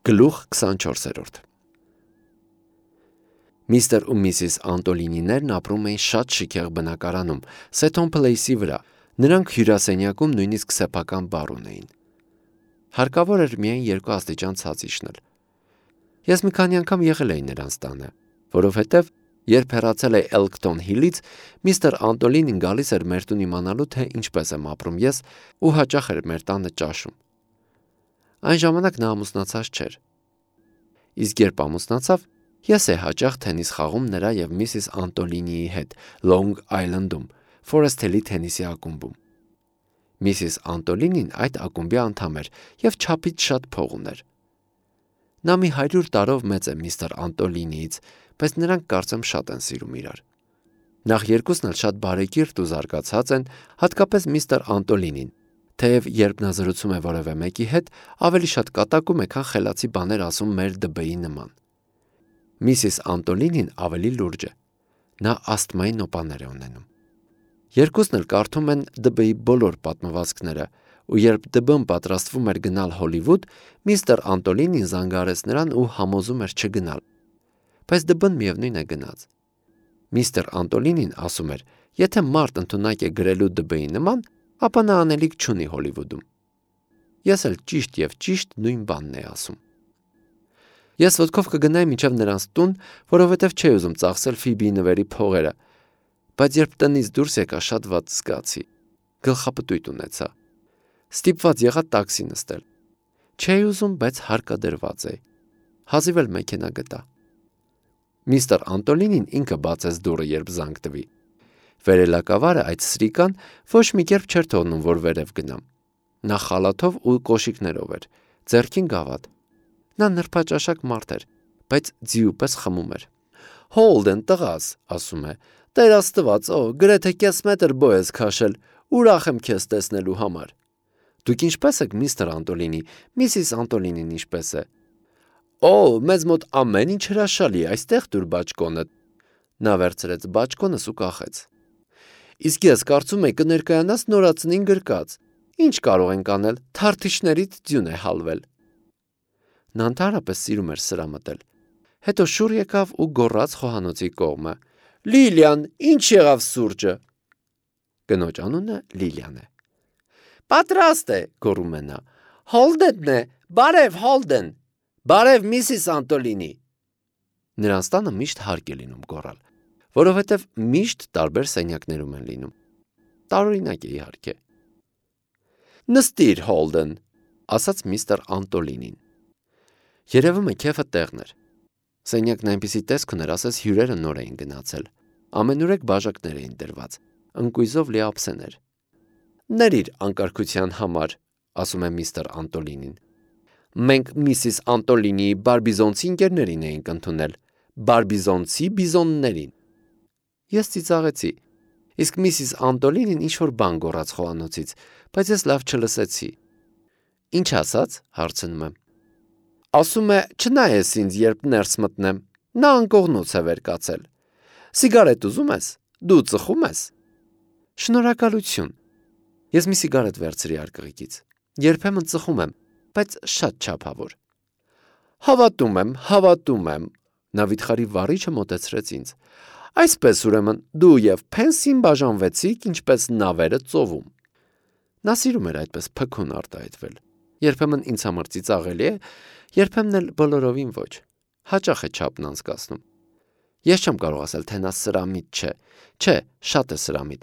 Գլուխ 24 Միստր ու Միսիս Անտոլինիներն ապրում էին շատ շքեղ բնակարանում, Սեթոն Փլեյսի վրա, նրանք հյուրասենյակում նույնիսկ սեփական բար ունեին։ Հարկավոր էր միայն 2 աստիճան ցած իջնել։ Ես մի քանի անգամ եղել էի նրանց տանը, որովհետև երբ հեռացել էի Էլքթոն Հիլից, միստր Անտոլինին գալիս էր մեր տուն իմանալու, թե ինչպես եմ ապրում ես, ու հաճախ էր մեր տանը ճաշում։ Այն ժամանակ նա ամուսնացած չէր։ Իսկ երբ ամուսնացավ, ես էի հաճախ թենիս խաղում նրա և Միսիս Անտոլինիի հետ Լոնգ Այլնդում, Ֆորեսթ Հիլի թենիսի ակումբում։ Միսիս Անտոլինին այդ ակումբի անդամ էր և չափից շատ փող ուներ։ Նա մի 100 տարով մեծ է միստր Անտոլինիից, բայց նրանք կարծեմ շատ են սիրում իրար։ Նախ երկուսն էլ շատ բարեկիրթ ու զարգացած են, հատկապես միստր Անտոլինին, թեև երբ նա զրուցում է որևէ մեկի հետ, ավելի շատ կատակում է, քան խելացի բաներ ասում մեր ԴԲ-ի նման։ Միսիս Անտոլինին ավելի լուրջ է։ Նա ասթմայի նոպաներ է ունենում։ Երկուսն էլ կարդում են ԴԲ-ի բոլոր պատմվածքները, ու երբ ԴԲ-ն պատրաստվում էր գնալ Հոլիվուդ, միստր Անտոլինին զանգարեց նրան ու համոզում էր չգնալ։ Բայց ԴԲ-ն միևնույն է գնաց։ Միստր Անտոլինին ասում էր, եթե մարդ ընդունակ է գրելու ԴԲ-ի նման, ապա նա անելիք չունի Հոլիվուդում։ Ես էլ ճիշտ և ճիշտ նույն բանն էի ասում։ Ես ոտքով կգնայի մինչև նրանց տուն, որովհետև չէի ուզում ծախսել Ֆիբիի նվերի փողերը, բայց երբ տնից դուրս եկա, շատ վատ զգացի, գլխապտույտ ունեցա։ Ստիպված եղա տաքսի նստել։ Չէի ուզում, բայց հարկադրված էի։ Հազիվ էլ մեքենա գտա։ Միստր Անտոլինին ինքը բացեց դուռը, երբ զանգ տվի։ Վերելակավարը այդ սրիկան ոչ մի կերպ չէր թողնում, որ վերև գնամ։ Նա խալաթով ու կոշիկներով էր, ձեռքին գավաթ։ Նա նրբաճաշակ մարդ էր, բայց ձիու պես խմում էր։ Հոլդեն տղաս, ասում է, Տեր Աստված, գրեթե կես մետր բո ես քաշել, ուրախ եմ քեզ տեսնելու համար։ Դուք ինչպե՞ս եք, միստր Անտոլինի, Միսիս Անտոլինին ինչպե՞ս է։ Մեզ մոտ ամեն ինչ հրաշալի է, այստեղ տուր բաճկոնը։ Նա վերցրեց բաճկոնս ու կախեց։ Իսկ ես կարծում եի կներկայանաս նորածնին գրկած։ Ինչ կարող ենք անել, թարթիչներից ձյուն է հալվել։ Նա ընդհանրապես սիրում էր սրամտել։ Հետո շուռ եկավ ու գոռաց խոհանոցի կողմը. Լիլիան, ինչ եղավ սուրճը։ Կնոջ անունը Լիլիան է։ Պատրաստ է, գոռում է նա։ Հոլդենն է, բարև Հոլդեն։ Բարև Միսիս Անտոլինի։ Նրանց տանը միշտ հարկ է լինում գոռալ, որովհետև միշտ տարբեր սենյակներում են լինում։ Տարօրինակ է իհարկե։ Նստիր, Հոլդեն, ասաց միստր Անտոլինին։ Երևում է քեֆը տեղն էր։ Սենյակն այնպիսի տեսք ուներ, ասես հյուրերը նոր էին գնացել։ Ամենուրեք բաժակներ էին դրված, ընկույզով լի ափսեներ։ Ների՛ր անկարգության համար, ասում է միստր Անտոլինին։ Մենք Միսիս Անտոլինիի բարբիզոնցի ընկերներին էինք ընդունել, բարբիզոնցի բիզոններին։ Ես ծիծաղեցի, իսկ Միսիս Անտոլինին ինչ-որ բան գոռաց խոհանոցից, բայց ես լավ չլսեցի։ Ինչ ասաց, հարցնում եմ։ Ասում է, չնայես ինձ, երբ ներս մտնեմ, նա անկողնուց է վեր կացել։ Սիգարետ ուզում ես, դու ծխում ես։ Շնորհակալություն։ Ես մի սիգարետ վերցրի արկղիկից։ Երբեմն ծխում եմ, բայց շատ չափավոր։ Հավատում եմ, նա վիթխարի վառիչը մոտեցրեց ինձ։ Այսպես ուրեմն դու և Փենսին բաժանվեցիք, ինչպես նավերը ծովում։ Նա սիրում էր այդպես փքուն արտահայտվել։ Երբեմն ինձ համար ծիծաղելի է, երբեմն էլ բոլորովին ոչ։ Հաճախ է չափն անցկացնում։ Ես չեմ կարող ասել, թե նա սրամիտ չէ։ Չէ, շատ է սրամիտ,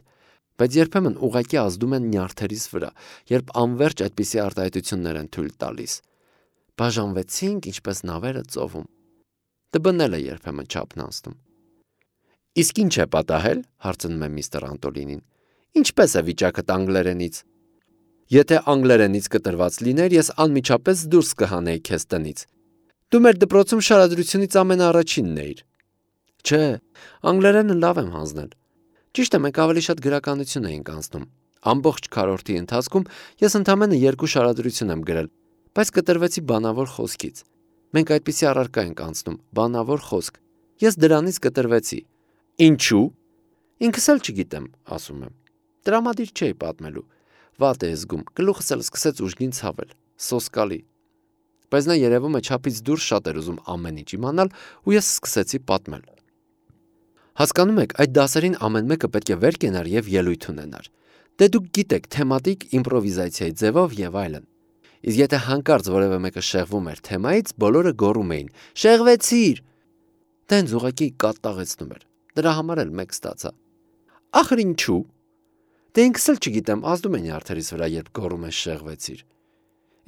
բայց երբեմն ուղղակի ազդում են նյարդերիս վրա, երբ անվերջ այդպիսի արտահայտություններ են թույլ տալիս։ Բաժանվեցինք, ինչպես նավերը ծովում։ ԴԲ-ն էլ է երբեմն չափն անցնում։ Իսկ ինչ է պատահել, հարցնում է միստր Անտոլինին։ Ինչպես է վիճակդ անգլերենից։ Եթե անգլերենից կտրված լիներ, ես անմիջապես դուրս կհանեի քեզ տնից։ Դու մեր դպրոցում շարադրությունից ամենաառաջինն էիր։ Չէ, անգլերենը լավ եմ հանձնել։ Ճիշտ է, մենք ավելի շատ գրականություն էինք անցնում։ Ամբողջ քառորդի ընթացքում ես ընդամենը 2 շարադրություն եմ գրել, բայց կտրվեցի բանավոր խոսքից։ Մենք այդպիսի առարկա ենք անցնում, բանավոր խոսք։ Ես դրանից կտրվեցի։ Ինչու։ Ինքս էլ չգիտեմ, ասում եմ։ Տրամադիր չէի պատմելու։ Վատ է զգում, գլուխս էլ սկսեց ուժգին ցավել, սոսկալի։ Բայց նա երևում է չափից դուրս շատ էր ուզում ամեն ինչ իմանալ ու ես սկսեցի պատմել։ Հասկանում եք, այդ դասերին ամեն մեկը պետք է վեր կենար եւ ելույթ ունենար։ Դե դուք գիտեք, թեմատիկ իմպրովիզացիայի ձևով եւ այլն։ Իսկ եթե հանկարծ որևէ մեկը շեղվում էր թեմայից, բոլորը գոռում էին. «Շեղվեցիր»։ Դա ինձ ուղղակի կատաղեցնում էր։ Դրա համար էլ մեկ ստացա։ Ախր ինչու։ Դե ինքս էլ չգիտեմ, ազդում է նյարդերիս վրա, երբ գոռում են շեղվեցիր։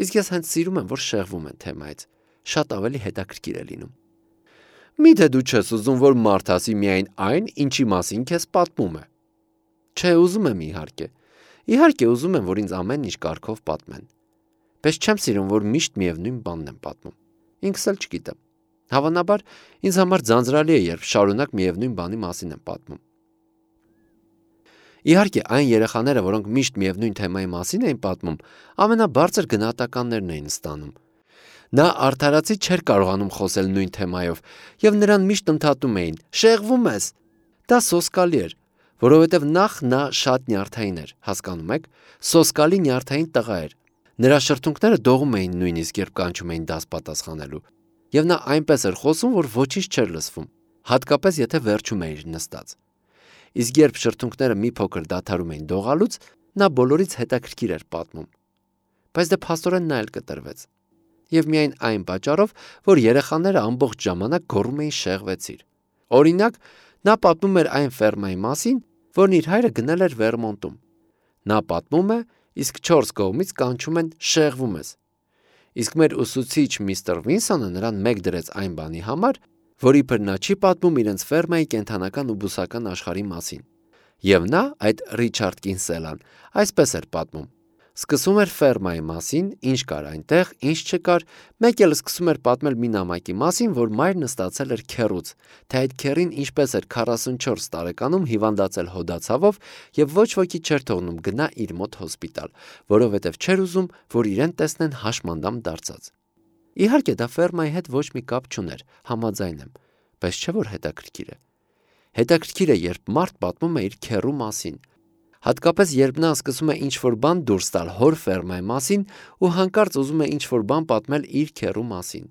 Իսկ ես հենց սիրում եմ, որ շեղվում են թեմայից։ Շատ ավելի հետաքրքիր է լինում։ Միթե դու չես ուզում, որ մարդ ասի միայն այն, ինչի մասին քեզ պատմում է։ Չէ, ուզում եմ իհարկե։ Իհարկե ուզում եմ, որ ինձ ամեն ինչ կարգով պատմեն։ Բայց չեմ սիրում, որ միշտ միևնույն բանն եմ պատմում։ Ինքս էլ չգիտեմ։ Հավանաբար ինձ համար ձանձրալի է, երբ շարունակ միևնույն բանի մասին եմ պատմում։ Իհարկե, այն երեխաները, որոնք միշտ միևնույն թեմայի մասին էին պատմում, ամենաբարձր գնահատականներն էին ստանում։ Նա արդարացի չէր կարողանում խոսել նույն թեմայով, եւ նրան միշտ ընդհատում էին. «Շեղվում ես»։ Դա սոսկալի էր, որովհետեւ նախ նա շատ նյարդային էր, հասկանում եք, սոսկալի նյարդային տղա էր։ Նրա շրթունքները դողում էին նույնիսկ, երբ կանչում էին դաս պատասխանելու, եւ նա այնպես էր խոսում, որ ոչինչ չէր լսվում, հատկապես եթե վերջում էր նստած։ Իսկ երբ շրթունքները մի փոքր դադարում էին դողալուց, նա բոլորից հետաքրքիր էր պատմում։ Բայց դե փաստորեն նա էլ կտրվեց։ Եվ միայն այն պատճառով, որ երեխաները ամբողջ ժամանակ գոռում էին շեղվեցիր։ Օրինակ, նա պատմում էր այն ֆերմայի մասին, որն իր հայրը գնել էր Վերմոնտում։ Նա պատմում է, իսկ 4 կողմից կանչում են շեղվում ես։ Իսկ մեր ուսուցիչ միստր Վինսոնը նրան մեկ դրեց այն բանի համար, որ իբր նա չի պատմում իրենց ֆերմայի կենդանական ու բուսական աշխարհի մասին։ Եվ նա, այդ Ռիչարդ Կինսելան, այսպես էր պատմում. Սկսում էր ֆերմայի մասին, ինչ կար այնտեղ, ինչ չկար, մեկ էլ սկսում էր պատմել մի նամակի մասին, որ մայրն ստացել էր քեռուց, թե այդ քեռին ինչպես էր 44 տարեկանում հիվանդացել հոդացավով եւ ոչ ոքի չէր թողնում գնա իր մոտ հոսպիտալ, որովհետեւ չէր ուզում, որ իրեն տեսնեն հաշմանդամ դարձած։ Իհարկե դա ֆերմայի հետ ոչ մի կապ չուներ, համաձայն եմ, բայց չէ որ հետաքրքիր է։ Հետաքրքիր է, երբ մարդ պատմում է իր քեռու մասին։ Հատկապես երբ նա սկսում է ինչ-որ բան դուրս տալ հոր ֆերմայի մասին ու հանկարծ ուզում է ինչ-որ բան պատմել իր քեռու մասին։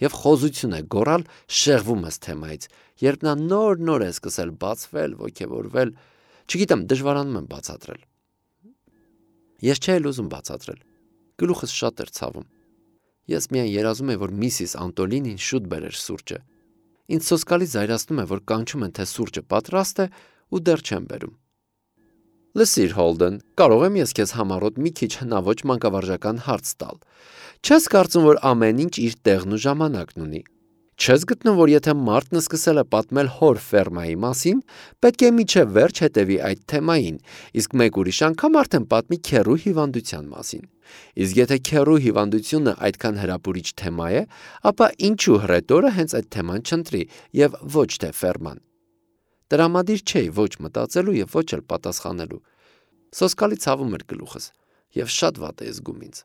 Եվ խոզություն է գոռալ շեղվում ես թեմայից, երբ նա նոր-նոր է սկսել բացվել, ոգևորվել, չգիտեմ, դժվարանում եմ բացատրել։ Ես չէի ուզում բացատրել։ Գլուխս շատ էր ցավում։ Ես միայն երազում եմ, որ Միսիս Անտոլինին շուտ բերեր սուրճը։ Ինձ սոսկալի զայրացնում է, որ կանչում են, թե սուրճը պատրաստ է ու դեռ չեն բերում։ Լսիր, Հոլդեն, կարող եմ ես քեզ համառոտ մի քիչ հնաոճ մանկավարժական հարց տալ։ Չես կարծում, որ ամեն ինչ իր տեղն ու ժամանակն ունի։ Չես գտնում, որ եթե մարդն սկսել է պատմել հոր ֆերմայի մասին, պետք է միջև վերջ հետևի այդ թեմային, իսկ մեկ ուրիշ անգամ արդեն պատմի քեռու հիվանդության մասին։ Իսկ եթե քեռու հիվանդությունը այդքան հրապուրիչ թեմա է, ապա ինչու հռետորը հենց այդ թեման չընտրի եւ ոչ թե ֆերման։ Տրամադիր չէի ոչ մտածելու եւ ոչ էլ պատասխանելու։ Սոսկալի ցավում էր գլուխս եւ շատ վատ է զգում ինձ։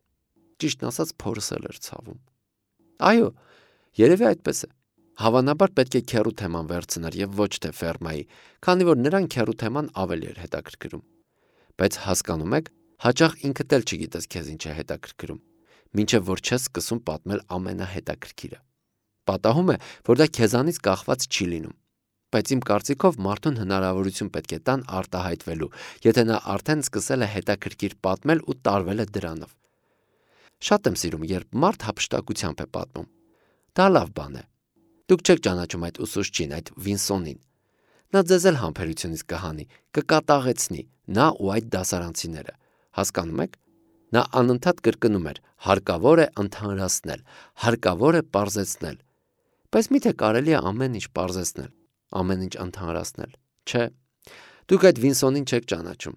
Ճիշտն ասած փորս էլ էր ցավում։ Այո, երևի այդպես է։ Հավանաբար պետք է քեռու թեման վերցներ եւ ոչ թե ֆերմայի, քանի որ նրան քեռու թեման ավելի էր հետաքրքրում։ Բայց հասկանում եք, հաճախ ինքդ էլ չգիտես քեզ ինչ է հետաքրքրում, մինչև որ չես սկսում պատմել ամենահետաքրքիրը։ Պատահում է, որ դա քեզանից կախված չի լինում։ Բայց իմ կարծիքով մարդուն հնարավորություն պետք է տան արտահայտվելու, եթե նա արդեն սկսել է հետաքրքիր պատմել ու տարվել է դրանով։ Շատ եմ սիրում, երբ մարդ հափշտակությամբ է պատմում։ Դա լավ բան է։ Դուք չեք ճանաչում այդ ուսուցչին, այդ Վինսոնին։ Նա ձեզ էլ համբերությունից կհանի, կկատաղեցնի, նա ու այդ դասարանցիները։ Հասկանում եք։ Նա անընդհատ կրկնում էր. հարկավոր է ընդհանրացնել, հարկավոր է պարզեցնել։ Բայց միթե կարելի է ամեն ինչ պարզեցնել, ամեն ինչ ընդհանրացնել։ Չէ։ Դուք այդ Վինսոնին չեք ճանաչում։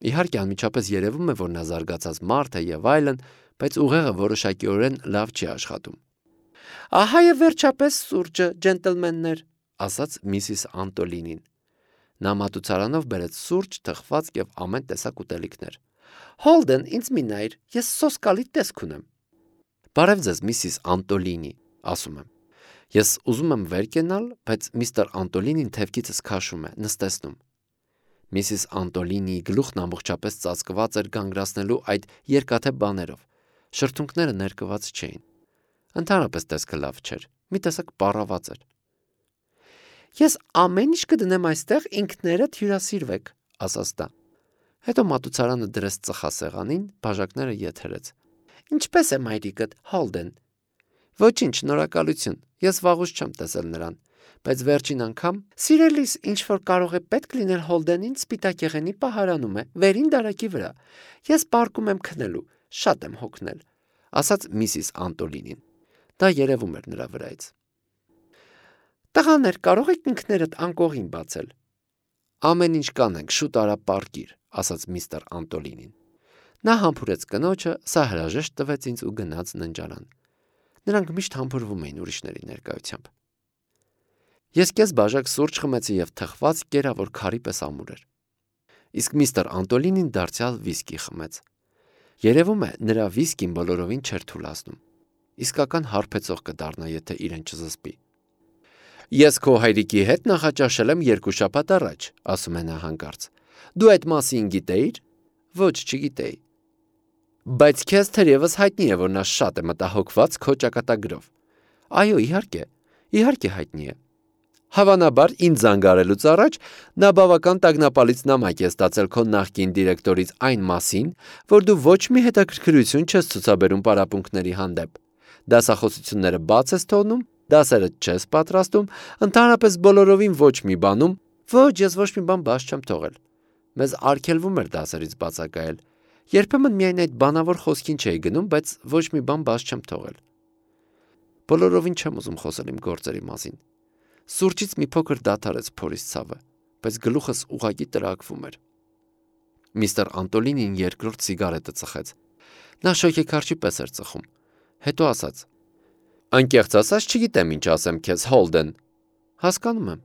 Իհարկե անմիջապես երևում է, որ նա զարգացած մարդ է եւ այլն, բայց ուղեղը որոշակիորեն լավ չի աշխատում։ Ահա եւ վերջապես սուրճը, ջենտլմեններ, ասաց Միսիս Անտոլինին։ Նա մատուցարանով բերեց սուրճ, թխվածք եւ ամեն տեսակ ուտելիքներ։ Հոլդեն, ինձ մի նայր, ես սոսկալի տեսք ունեմ։ Բարև ձեզ, Միսիս Անտոլինի, ասում եմ։ Ես ուզում եմ վեր կենալ, բայց միստր Անտոլինին թևքիցս քաշում է, նստեցնում։ Միսիս Անտոլինիի գլուխն ամբողջապես ծածկված էր գանգրացնելու այդ երկաթե բաներով։ Շրթունքները ներկված չէին։ Ընդհանրապես տեսքը լավ չէր, մի տեսակ պառաված էր։ Ես ամեն ինչ կդնեմ այստեղ, ինքներդ հյուրասիրվեք, ասաց դա։ Հետո մատուցարանը դրեց ծխասեղանին, բաժակները եթերեց։ Ինչպե՞ս է մայրիկդ, Հոլդեն։ Ոչինչ, շնորհակալություն, ես վաղուց չեմ տեսել նրան, բայց վերջին անգամ սիրելիս ինչ որ կարող է պետք լինել Հոլդենին սպիտակեղենի պահարանում է, վերին դարակի վրա։ Ես պարկում եմ քնելու, շատ եմ հոգնել, ասաց Միսիս Անտոլինին։ Դա երևում էր նրա վրայից։ Տղաներ, կարող եք ինքներդ անկողին բացել։ Ամեն ինչ կանենք, շուտ արա պարկիր, ասաց միստր Անտոլինին։ Նա համբուրեց կնոջը, սա հրաժեշտ տվեց ինձ ու գնաց ննջարան։ Նրանք միշտ համբուրվում էին ուրիշների ներկայությամբ։ Ես կես բաժակ սուրճ խմեցի եւ թխված կերավոր քարի պես ամուր էր։ Իսկ միստր Անտոլինին դարձյալ վիսկի խմեց։ Երևում է, նրա վիսկին բոլորովին չէր թուլացնում։ Իսկական հարբեցող կդառնա, եթե իրեն չզսպի։ Ես քո հայրիկի հետ նախաճաշել եմ 2 շաբաթ առաջ, ասում է նա հանկարծ։ Դու այդ մասին գիտեիր։ Ոչ, չգիտեի։ Բայց քեզ թերևս հայտնի է, որ նա շատ է մտահոգված քո ճակատագրով։ Այո, իհարկե հայտնի է։ Հավանաբար ինձ զանգարելուց առաջ նա բավական տագնապալից նամակ է ստացել քո նախկին դիրեկտորից այն մասին, որ դու ոչ մի հետաքրքրություն չես ցուցաբերում պարապմունքների հանդեպ։ Դասախոսությունները բաց ես թողնում, դասերը չես պատրաստում, ընդհանրապես բոլորովին ոչ մի բանում, ոչ, ես ոչ մի բան բաց չեմ թողել։ Մեզ արգելվում էր դասերից բացակայել։ Երբեմն միայն այդ բանավոր խոսքին չէի գնում, բայց ոչ մի բան բաց չեմ թողել։ Բոլորովին չեմ ուզում խոսել իմ գործերի մասին։ Սուրճից մի փոքր դադարեց փորից ցավը, բայց գլուխս ուղղակի տրակվում էր։ Միստր Անտոլինին երկրորդ սիգարետը ծխեց։ Նա շոգեքարշի պես էր ծխում։ Հետո ասաց. Անկեղծ ասած չգիտեմ ինչ ասեմ քեզ, Հոլդեն։ Հասկանում եմ։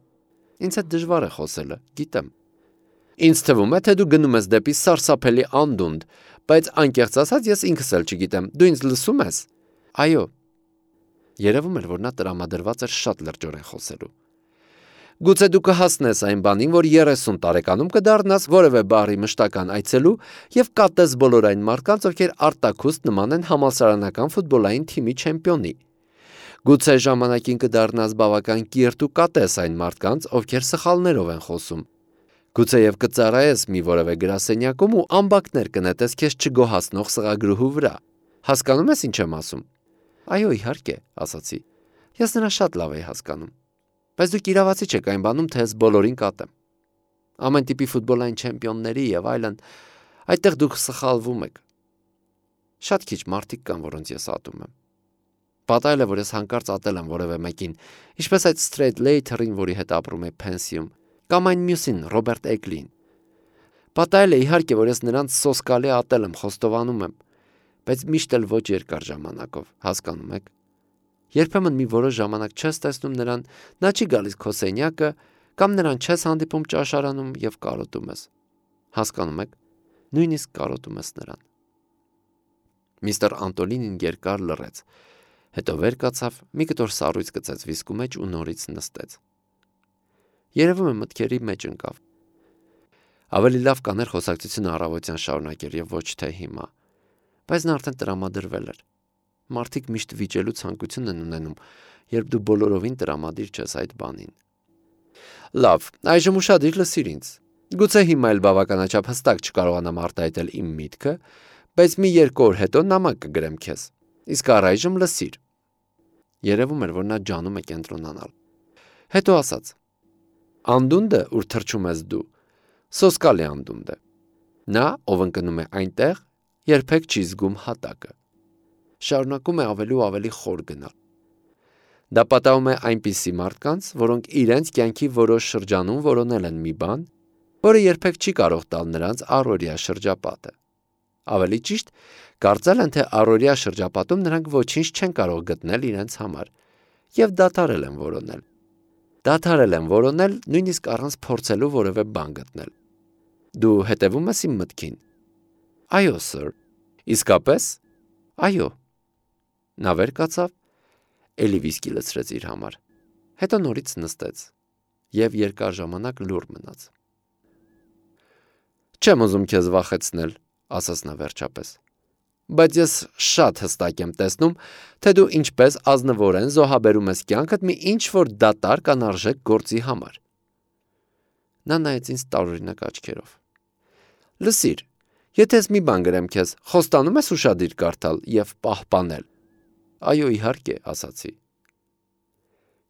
Ինձ հետ դժվար է խոսելը, գիտեմ։ Ինձ թվում է, թե դու գնում ես դեպի սարսափելի անդունդ, բայց անկեղծ ասած ես ինքս էլ չգիտեմ։ Դու ինձ լսում ես։ Այո։ Երևում էր, որ նա տրամադրված էր շատ լրջորեն խոսելու։ Գուցե դու կհասնես այն բանին, որ 30 տարեկանում կդառնաս որևէ բառի մշտական այցելու եւ կատես բոլոր այն մարդկանց, ովքեր արտաքուստ նման են համալսարանական ֆուտբոլային թիմի չեմպիոնի։ Գուցե ժամանակին կդառնաս բավական կիրթ ու կատես այն մարդկանց, ովքեր սխալներով են խոսում։ Գուցե եւ կծառայես մի որևէ գրասենյակում ու ամբակներ կնետես քեզ չգոհացնող սղագրուհու վրա։ Հասկանում ես ինչ եմ ասում։ Այո, իհարկե, ասացի։ Ես նրան շատ լավ էի հասկանում։ Բայց դուք իրավացի չեք այն բանում, թե ես բոլորին կատեմ։ Ամեն տիպի ֆուտբոլային չեմպիոնների եւ այլն, այդտեղ դուք սխալվում եք։ Շատ քիչ մարդիկ կան, որոնց ես ատում եմ։ Պատահել է, որ ես հանկարծ ատել եմ որևէ մեկին, ինչպես այդ Straight Later-ին, որի հետ ապրում է Փենսիում, կամ այն մյուսին, Ռոբերտ Էգլին։ Պատահել է իհարկե, որ ես նրանց սոսկալի ատել եմ, խոստովանում եմ, բայց միշտ էլ ոչ երկար ժամանակով, հասկանում եք։ Երբեմն մի որոշ ժամանակ չես տեսնում նրան, նա չի գալիս քո սենյակը, կամ նրան չես հանդիպում ճաշարանում եւ կարոտում ես։ Հասկանում եք, նույնիսկ կարոտում ես նրան։ Միստր Անտոլինին երկար լռեց, հետո վեր կացավ, մի կտոր սառույց գցեց վիսկու մեջ ու նորից նստեց։ Երևում է մտքերի մեջ ընկավ։ Ավելի լավ կաներ խոսակցությունը առավոտյան շարունակել եւ ոչ թե հիմա, բայց նա արդեն տրամադրվել էր։ Մարդիկ միշտ վիճելու ցանկություն են ունենում, երբ դու բոլորովին տրամադիր չես այդ բանին։ Լավ, այժմ ուշադիր լսիր ինձ։ Գուցե հիմա էլ բավականաչափ հստակ չկարողանամ արտահայտել իմ միտքը, բայց մի 2 օր հետո նամակ կգրեմ քեզ։ Իսկ առայժմ լսիր։ Երևում էր, որ նա ջանում է կենտրոնանալ։ Հետո ասաց. Անդունդը, ուր թռչում ես դու, սոսկալի անդունդ է։ Նա, ով ընկնում է այնտեղ, երբեք չի զգում հատակը։ Շարունակում է ավելի ու ավելի խոր գնալ։ Դա պատահում է այնպիսի մարդկանց, որոնք իրենց կյանքի որոշ շրջանում որոնել են մի բան, որը երբեք չի կարող տալ նրանց առօրյա շրջապատը։ Ավելի ճիշտ, կարծել են, թե առօրյա շրջապատում նրանք ոչինչ չեն կարող գտնել իրենց համար եւ դադարել են որոնել։ Դադարել են որոնել նույնիսկ առանց փորձելու որևէ բան գտնել։ Դու հետևում ես իմ մտքին։ Այո, սir։ Իսկապես։ Այո։ Նա վեր կացավ, էլի վիսկի լցրեց իր համար, հետո նորից նստեց եւ երկար ժամանակ լուռ մնաց։ Չեմ ուզում քեզ վախեցնել, ասաց նա վերջապես, բայց ես շատ հստակ եմ տեսնում, թե դու ինչպես ազնվորեն զոհաբերում ես կյանքդ մի ինչ-որ դատարկ անարժեք գործի համար։ Նա նայեց ինձ տարօրինակ աչքերով։ Լսիր, եթե ես մի բան գրեմ քեզ, խոստանում ես ուշադիր կարդալ և պահպանել։ Այո, իհարկե, ասացի։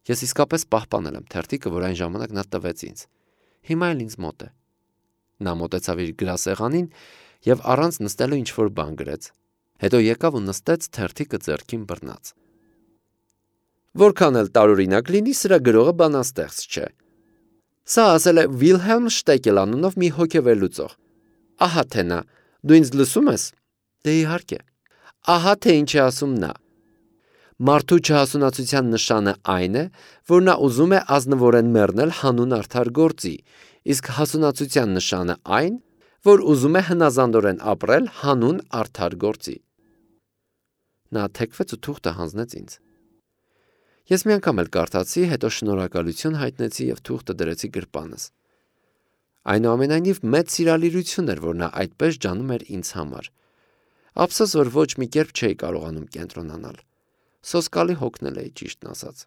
Ես իսկապես պահպանել եմ թերթիկը, որ այն ժամանակ նա տվեց ինձ։ Հիմա էլ ինձ մոտ է։ Նա մոտեցավ իր գրասեղանին և առանց նստելու ինչ-որ բան գրեց։ Հետո եկավ ու նստեց թերթիկը ձեռքին բռնած։ Որքան էլ տարօրինակ լինի, սրա գրողը բանաստեղծ չէ։ Սա ասել է Վիլհելմ Շտեկել անունով մի հոգեվերլուծող։ Ահա թե նա, դու ինձ լսում ես։ Դե իհարկե։ Ահա թե ինչ է ասում նա։ Մարդու չհասունացության նշանը այն է, որ նա ուզում է ազնվորեն մեռնել հանուն արդար գործի, իսկ հասունացության նշանը այն, որ ուզում է հնազանդորեն ապրել հանուն արդար գործի։ Նա թեքվեց ու թուղթը հանձնեց ինձ։ Ես մի անգամ էլ կարդացի, հետո շնորհակալություն հայտնեցի և թուղթը դրեցի գրպանս։ Այնուամենայնիվ մեծ սիրալիրություն էր, որ նա այդպես ջանում էր ինձ համար։ Ափսոս, որ ոչ մի կերպ չէի կարողանում կենտրոնանալ։ Սոսկալի հոգնել էի, ճիշտն ասած։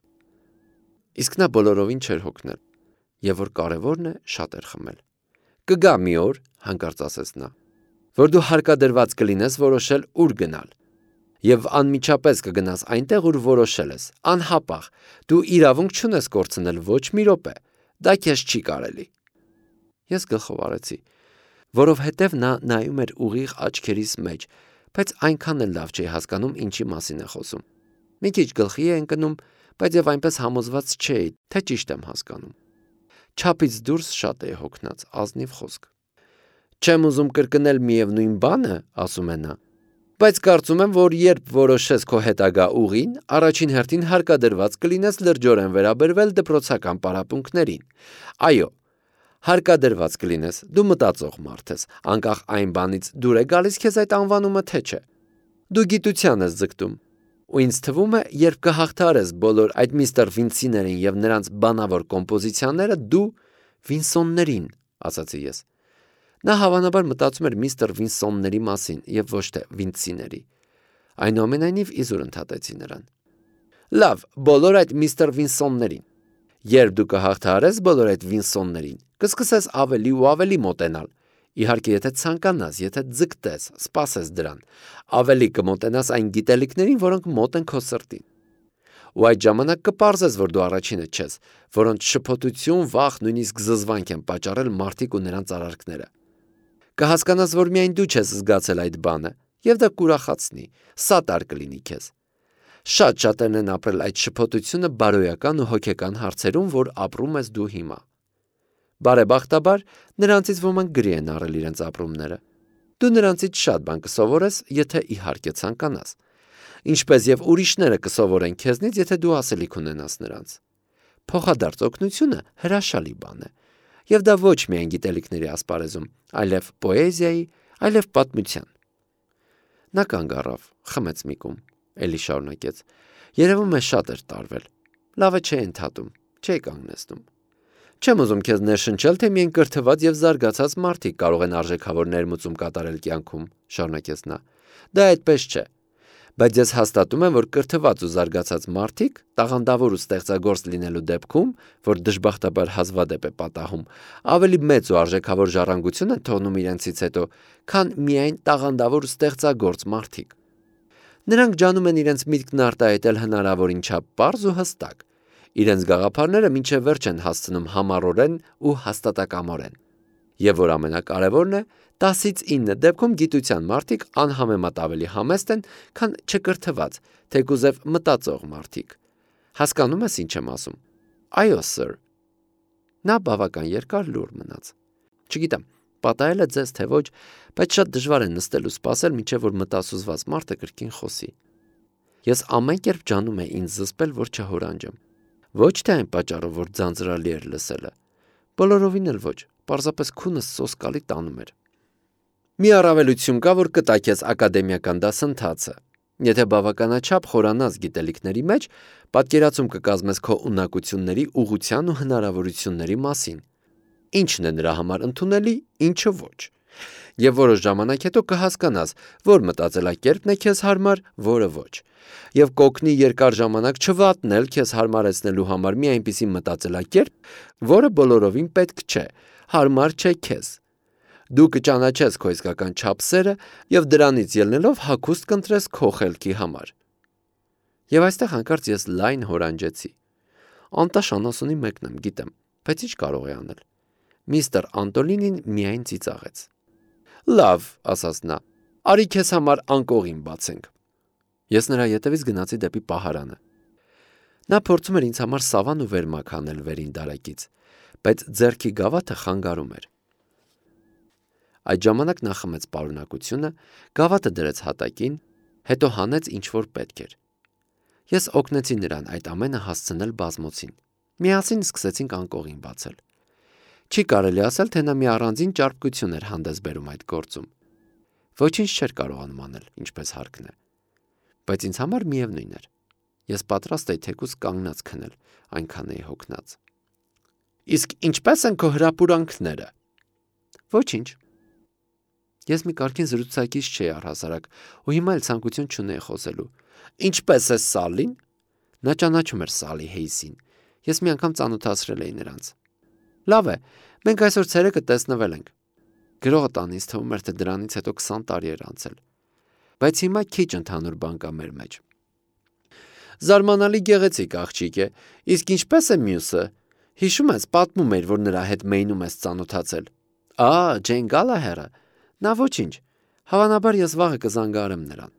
Իսկ նա բոլորովին չէր հոգնել, և որ կարևորն է, շատ էր խմել։ Կգա մի օր, հանկարծ ասեց նա, որ դու հարկադրված կլինես որոշել ուր գնալ, և անմիջապես կգնաս այնտեղ, ուր որոշել ես, անհապաղ, դու իրավունք չունես կորցնել ոչ մի րոպե, դա քեզ չի կարելի։ Ես գլխով արեցի, որովհետև նա նայում էր ուղիղ աչքերիս մեջ, բայց այնքան էլ լավ չէի հասկանում ինչի մասին է խոսում։ Մի քիչ գլխի է ընկնում, բայց և այնպես համոզված չէի, թե ճիշտ եմ հասկանում։ Չափից դուրս շատ էի հոգնած, ազնիվ խոսք։ Չեմ ուզում կրկնել միևնույն բանը, ասում է նա, բայց կարծում եմ, որ երբ որոշես քո հետագա ուղին, առաջին հերթին հարկադրված կլինես լրջորեն վերաբերվել դպրոցական պարապմունքներին։ Այո, հարկադրված կլինես, դու մտածող մարդ ես, անկախ այն բանից դուր է գալիս քեզ այդ անվանումը թե չէ։ Դու գիտության ես ձգտում։ Ու ինձ թվում է, երբ կհաղթարես բոլոր այդ միստր Վինցիներին և նրանց բանավոր կոմպոզիցիաները, դու Վինսոններին, ասացի ես։ Նա հավանաբար մտածում էր միստր Վինսոնների մասին և ոչ թե Վինցիների։ Այնուամենայնիվ իզուր ընդհատեցի նրան։ Լավ, բոլոր այդ միստր Վինսոններին։ Երբ դու կհաղթարես բոլոր այդ Վինսոններին, կսկսես ավելի ու ավելի մոտենալ։ Իհարկե, եթե ցանկանաս, եթե ձգտես, սպասես դրան, ավելի կմոտենաս այն գիտելիքներին, որոնք մոտ են քո սրտին։ Ու այդ ժամանակ կպարզես, որ դու առաջինը չես, որոնց շփոթություն, վախ, նույնիսկ զզվանք են պատճառել մարդիկ ու նրանց արարքները։ Կհասկանաս, որ միայն դու չես զգացել այդ բանը, և դա կուրախացնի, սատար կլինի քեզ։ Շատ շատերն են ապրել այդ շփոթությունը բարոյական ու հոգեկան հարցերում, որ ապրում ես դու հիմա։ Բարեբախտաբար, նրանցից ոմանք գրի են առել իրենց ապրումները։ Դու նրանցից շատ բան կսովորես, եթե իհարկե ցանկանաս։ Ինչպես և ուրիշները կսովորեն քեզնից, եթե դու ասելիք ունենաս նրանց։ Փոխադարձ օգնությունը հրաշալի բան է, և դա ոչ միայն գիտելիքների ասպարեզում, այլև պոեզիայի, այլև պատմության։ Նա կանգ առավ, խմեց մի կում, էլի շարունակեց։ Երևում է շատ էր տարվել։ Լավ է չէի ընդհատում, չէի կանգնեցնում։ Չեմ ուզում քեզ ներշնչել, թե միայն կրթված և զարգացած մարդիկ կարող են արժեքավոր ներմուծում կատարել կյանքում, շարունակեց նա։ Դա այդպես չէ։ Բայց ես հաստատում եմ, որ կրթված ու զարգացած մարդիկ տաղանդավոր ու ստեղծագործ լինելու դեպքում, որ դժբախտաբար հազվադեպ է պատահում, ավելի մեծ ու արժեքավոր ժառանգություն են թողնում իրենցից հետո, քան միայն տաղանդավոր ու ստեղծագործ մարդիկ։ Նրանք ջանում են իրենց միտքն արտահայտել հնարավորին չափ պարզ ու հստակ։ Իրենց գաղափարները մինչև վերջ են հասցնում համառորեն ու հաստատակամորեն։ Եվ որ ամենակարևորն է, 10-ից 9 դեպքում գիտության մարդիկ անհամեմատ ավելի համեստ են, քան չկրթված, թեկուզև մտածող մարդիկ։ Հասկանում ես ինչ եմ ասում։ Այո, սըր։ Նա բավական երկար լուռ մնաց։ Չգիտեմ, պատահել է ձեզ թե ոչ, բայց շատ դժվար է նստել ու սպասել, մինչև որ մտասուզված մարդը կրկին խոսի։ Ես ամեն կերպ ջանում էի ինձ զսպել, որ չհորանջեմ։ Ոչ թե այն պատճառով, որ ձանձրալի էր լսելը։ Բոլորովին էլ ոչ, պարզապես քունս սոսկալի տանում էր։ Մի առավելություն կա, որ կտա քեզ ակադեմիական դասընթացը։ Եթե բավականաչափ խորանաս գիտելիքների մեջ, պատկերացում կկազմես քո ունակությունների ուղղության ու հնարավորությունների մասին։ Ինչն է նրա համար ընդունելի, ինչը ոչ։ Եվ որոշ ժամանակ հետո կհասկանաս, որ մտածելակերպն է քեզ հարմար, որը ոչ։ Եվ կօգնի երկար ժամանակ չվատնել քեզ հարմարեցնելու համար մի այնպիսի մտածելակերպ, որը բոլորովին պետք չէ, հարմար չէ քեզ։ Դու կճանաչես քո իսկական չափսերը եւ դրանից ելնելով հագուստ կընտրես քո խելքի համար։ Եվ այստեղ հանկարծ ես լայն հորանջեցի։ Անտաշ անասունի մեկն եմ, գիտեմ, բայց ինչ կարող է անել։ Միստր Անտոլինին միայն ծիծաղեց։ Լավ, ասաց նա, արի քեզ համար անկողին բացենք։ Ես նրա ետևից գնացի դեպի պահարանը։ Նա փորձում էր ինձ համար սավան ու վերմակ անել վերին դարակից, բայց ձեռքի գավաթը խանգարում էր։ Այդ ժամանակ նա խմեց պարունակությունը, գավաթը դրեց հատակին, հետո հանեց ինչ որ պետք էր։ Ես օգնեցի նրան այդ ամենը հասցնել բազմոցին։ Միասին սկսեցինք անկողին բացել։ Չի կարելի ասել, թե նա մի առանձին ճարպկություն էր հանդես բերում այդ գործում։ Ոչինչ չէր կարողանում անել, ինչպես հարկն է։ Բայց ինձ համար միևնույն էր։ Ես պատրաստ էի թեկուզ կանգնած քնել, այնքան էի հոգնած։ Իսկ ինչպես են քո հրապուրանքները։ Ոչինչ։ Ես մի կարգին զրուցակից չէի առհասարակ, ու հիմա էլ ցանկություն չունեի խոսելու։ Ինչպես է Սալին։ Նա ճանաչում էր Սալի Հեյսին։ Ես մի անգամ ծանոթացրել էի նրանց։ Լավ է, մենք այսօր ցերեկը տեսնվել ենք։ Գրողը տան ինձ թվում էր, թե դրանից հետո 20 տարի էր անցել։ Բայց հիմա քիչ ընդհանուր բան կա մեր մեջ։ Զարմանալի գեղեցիկ աղջիկ է, իսկ ինչպես է մյուսը։ Հիշում ես, պատմում էր, որ նրա հետ Մեյնում ես ծանոթացել։ Ջեյն Գալահերը։ Նա ոչինչ։ Հավանաբար ես վաղը կզանգահարեմ նրան։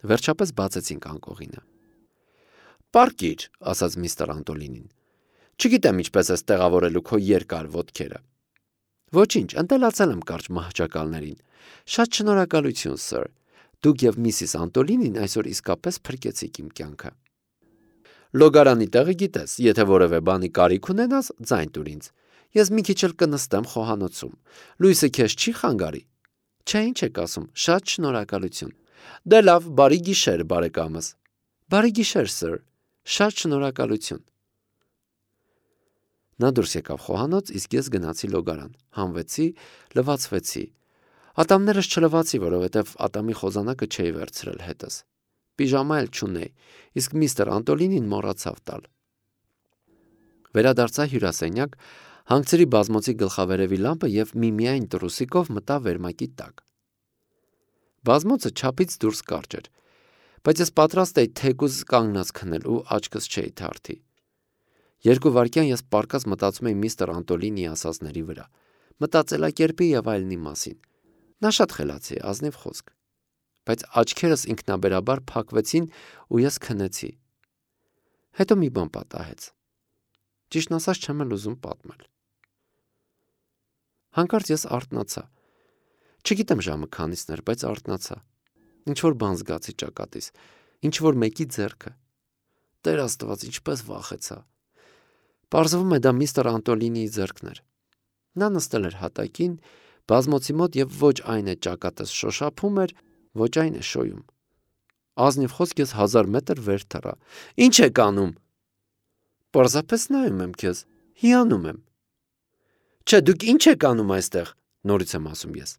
Վերջապես բացեցինք անկողինը։ Պարկիր, ասաց միստր Անտոլինին։ Չգիտեմ ինչպես ես տեղավորելու քո երկար ոտքերը։ Ոչինչ, ընտելացել եմ կարճ մահճակալներին։ Շատ շնորհակալություն, սըր։ Դուք եւ միսիս Անտոլինին այսօր իսկապես փրկեցիք իմ կյանքը։ Լոգարանի տեղը գիտես, եթե որևէ բանի կարիք ունենաս, ձայն տուր ինձ։ Ես մի քիչ էլ կնստեմ խոհանոցում։ Լույսը քեզ չի խանգարի։ Չէ, ինչ եք ասում, շատ շնորհակալություն։ Դե լավ, բարի գիշեր, բարեկամս։ Բարի գիշեր, սըր։ Շատ շնորհակալություն։ Նա դուրս եկավ խոհանոց, իսկ ես գնացի լոգարան, հանվեցի, լվացվեցի։ Ատամներս չլվացի, որովհետև ատամի խոզանակը չէի վերցրել հետս։ Պիժամա էլ չունեի, իսկ միստր Անտոլինին մոռացավ տալ։ Վերադարձա հյուրասենյակ, հանգցրի բազմոցի գլխավերևի լամպը եւ միմիայն տրուսիկով մտա վերմակի տակ։ Բազմոցը չափից դուրս կարճ էր, բայց ես պատրաստ էի թեկուզ կանգնած քնել ու աչքս չէի թարթի։ 2 վայրկյան ես պառկած մտածում էի միստր Անտոլինի ասածների վրա, մտածելակերպի եւ այլնի մասին։ Նա շատ խելացի է, ազնիվ խոսք։ Բայց աչքերս ինքնաբերաբար փակվեցին ու ես քնեցի։ Հետո մի բան պատահեց։ Ճիշտն ասած չեմ էլ ուզում պատմել։ Հանկարծ ես արթնացա։ Չգիտեմ ժամը քանիսն էր, բայց արթնացա։ Ինչ որ բան զգացի ճակատիս, ինչ որ մեկի ձեռքը։ Տեր Աստված, ինչպես վախեցա։ Պարզվում է դա միստր Անտոլինիի ձեռքն էր։ Նա նստել էր հատակին, բազմոցի մոտ եւ ոչ այն է ճակատս շոշափում էր, ոչ այն է շոյում։ Ազնիվ խոսք ես 1000 մետր վեր թռա։ Ինչ եք անում։ Պարզապես նայում եմ քեզ, հիանում եմ։ Չէ, դուք ինչ եք անում այստեղ, նորից եմ ասում ես։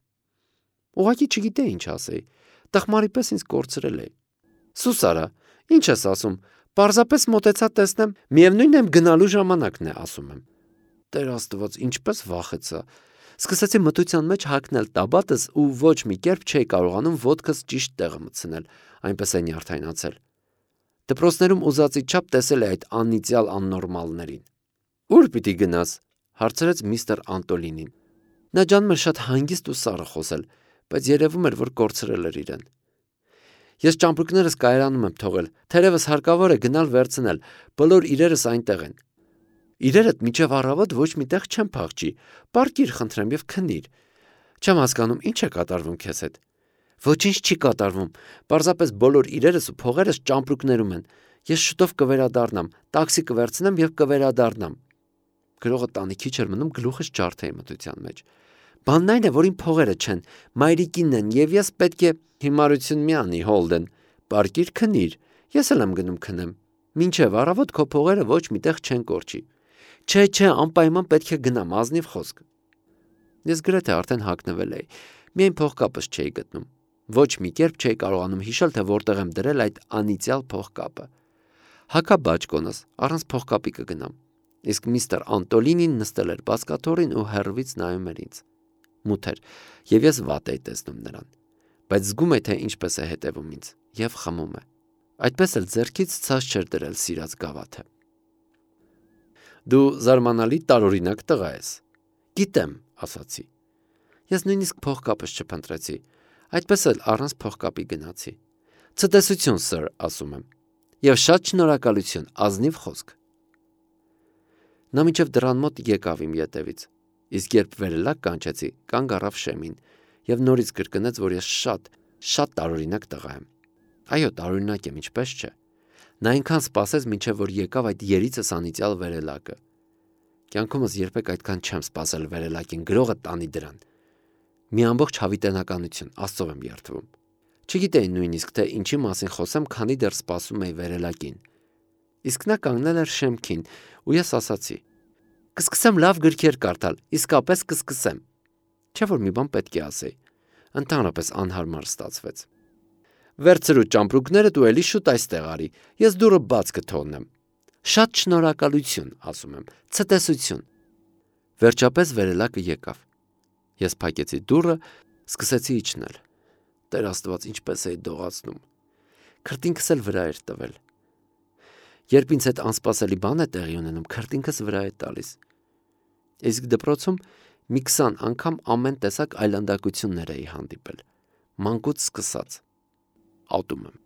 Ուղղակի չգիտեի ինչ ասեի։ Տխմարի պես ինձ կորցրել էի։ Սուս արա, ինչ ես ասում։ Պարզապես մոտեցա տեսնեմ, միևնույն է գնալու ժամանակն է, ասում եմ։ Տեր Աստված, ինչպես վախեցա։ Սկսեցի մթության մեջ հագնել տաբատս ու ոչ մի կերպ չէի կարողանում ոտքս ճիշտ տեղը մտցնել, այնպես է նյարդայնացել։ Դպրոցներում ուզածի չափ տեսել է այդ անիծյալ աննորմալներին։ Ուր պիտի գնաս, հարցրեց միստր Անտոլինին։ Նա ջանում էր շատ հանգիստ ու սառը խոսել, բայց երևում էր, որ կորցրել էր իրեն։ Ես ճամպրուկներս կայարանում եմ թողել, թերևս հարկավոր է գնալ վերցնել, բոլոր իրերս այնտեղ են։ Իրերդ միջև առավոտ ոչ միտեղ չեմ փախչի, պարկիր խնդրեմ եւ քնիր։ Չեմ հասկանում, ինչ է կատարվում քեզ հետ։ Ոչինչ չի կատարվում, պարզապես բոլոր իրերս ու փողերս ճամպրուկներում են։ Ես շուտով կվերադառնամ, տաքսի կվերցնեմ եւ կվերադառնամ։ Գրողը տանիքի չէր մնում, գլուխս ջարդ էի մթության մեջ։ Բանն այն է, որ իմ փողերը չեն, մայրիկինն են եւ ես պետք է հիմարություն մի անի, Հոլդեն։ Պարկիր քնիր, ես էլ եմ գնում քնեմ։ Մինչև առավոտ քո փողերը ոչ միտեղ չեն կորչի։ Չէ, անպայման պետք է գնամ, ազնիվ խոսք։ Ես գրեթե արդեն հագնվել էի, միայն փողկապս չէի գտնում։ Ոչ մի կերպ չէի կարողանում հիշել, թե որտեղ եմ դրել այդ անիծյալ փողկապը։ Հագա բաճկոնս, առանց փողկապի կգնամ։ Իսկ միստր Անտոլինին նստել էր բազկաթոռին ու հեռվից նայում էր ինձ։ Մութ էր, եւ ես վատ էի տեսնում նրան, բայց զգում էի, թե ինչպես է հետևում ինձ եւ խմում է։ Այդպես էլ ձեռքից ցած չէր դրել սիրած գավաթը։ Դու զարմանալի տարօրինակ տղա ես։ Գիտեմ, ասացի։ Ես նույնիսկ փողկապս չփնտրեցի, այդպես էլ առանց փողկապի գնացի։ Ցտեսություն, սըր, ասում եմ։ Եվ շատ շնորհակալություն, ազնիվ խոսք։ Նա մինչև դռան մոտ եկավ իմ ետևից, իսկ երբ վերելակ կանչեցի, կանգ առավ շեմին եւ նորից կրկնեց, որ ես շատ տարօրինակ տղա եմ։ Այո, տարօրինակ եմ, ինչպես չէ։ Նա այնքան սպասեց, մինչև որ եկավ այդ երիցս անիծյալ վերելակը։ Կյանքումս երբեք այդքան չեմ սպասել վերելակին, գրողը տանի դրան։ Մի ամբողջ հավիտենականություն, Աստծով եմ երդվում։ Չգիտեի նույնիսկ, թե ինչի մասին խոսեմ, քանի դեռ սպասում էի վերելակին։ Իսկ նա կանգնել էր շեմքին, ու ես ասացի. կսկսեմ լավ գրքեր կարդալ, իսկապես կսկսեմ։ Չէ՞ որ մի բան պետք է ասեի։ Ընդհանրապես անհարմար ստացվեց։ Վերցրու ճամպրուկներդ ու էլի շուտ այստեղ արի, ես դուռը բաց կթողնեմ։ Շատ շնորհակալություն, ասում եմ, ցտեսություն։ Վերջապես վերելակը եկավ։ Ես փակեցի դուռը, սկսեցի իջնել։ Տեր Աստված, ինչպես էի դողացնում։ Քրտինքս էլ վրա էր տվել։ Երբ ինձ հետ անսպասելի բան է տեղի ունենում, քրտինքս վրա է տալիս։ Իսկ դպրոցում մի 20 անգամ ամեն տեսակ այլանդակություններ էի հանդիպել։ Մանկուց սկսած։ Ատում եմ։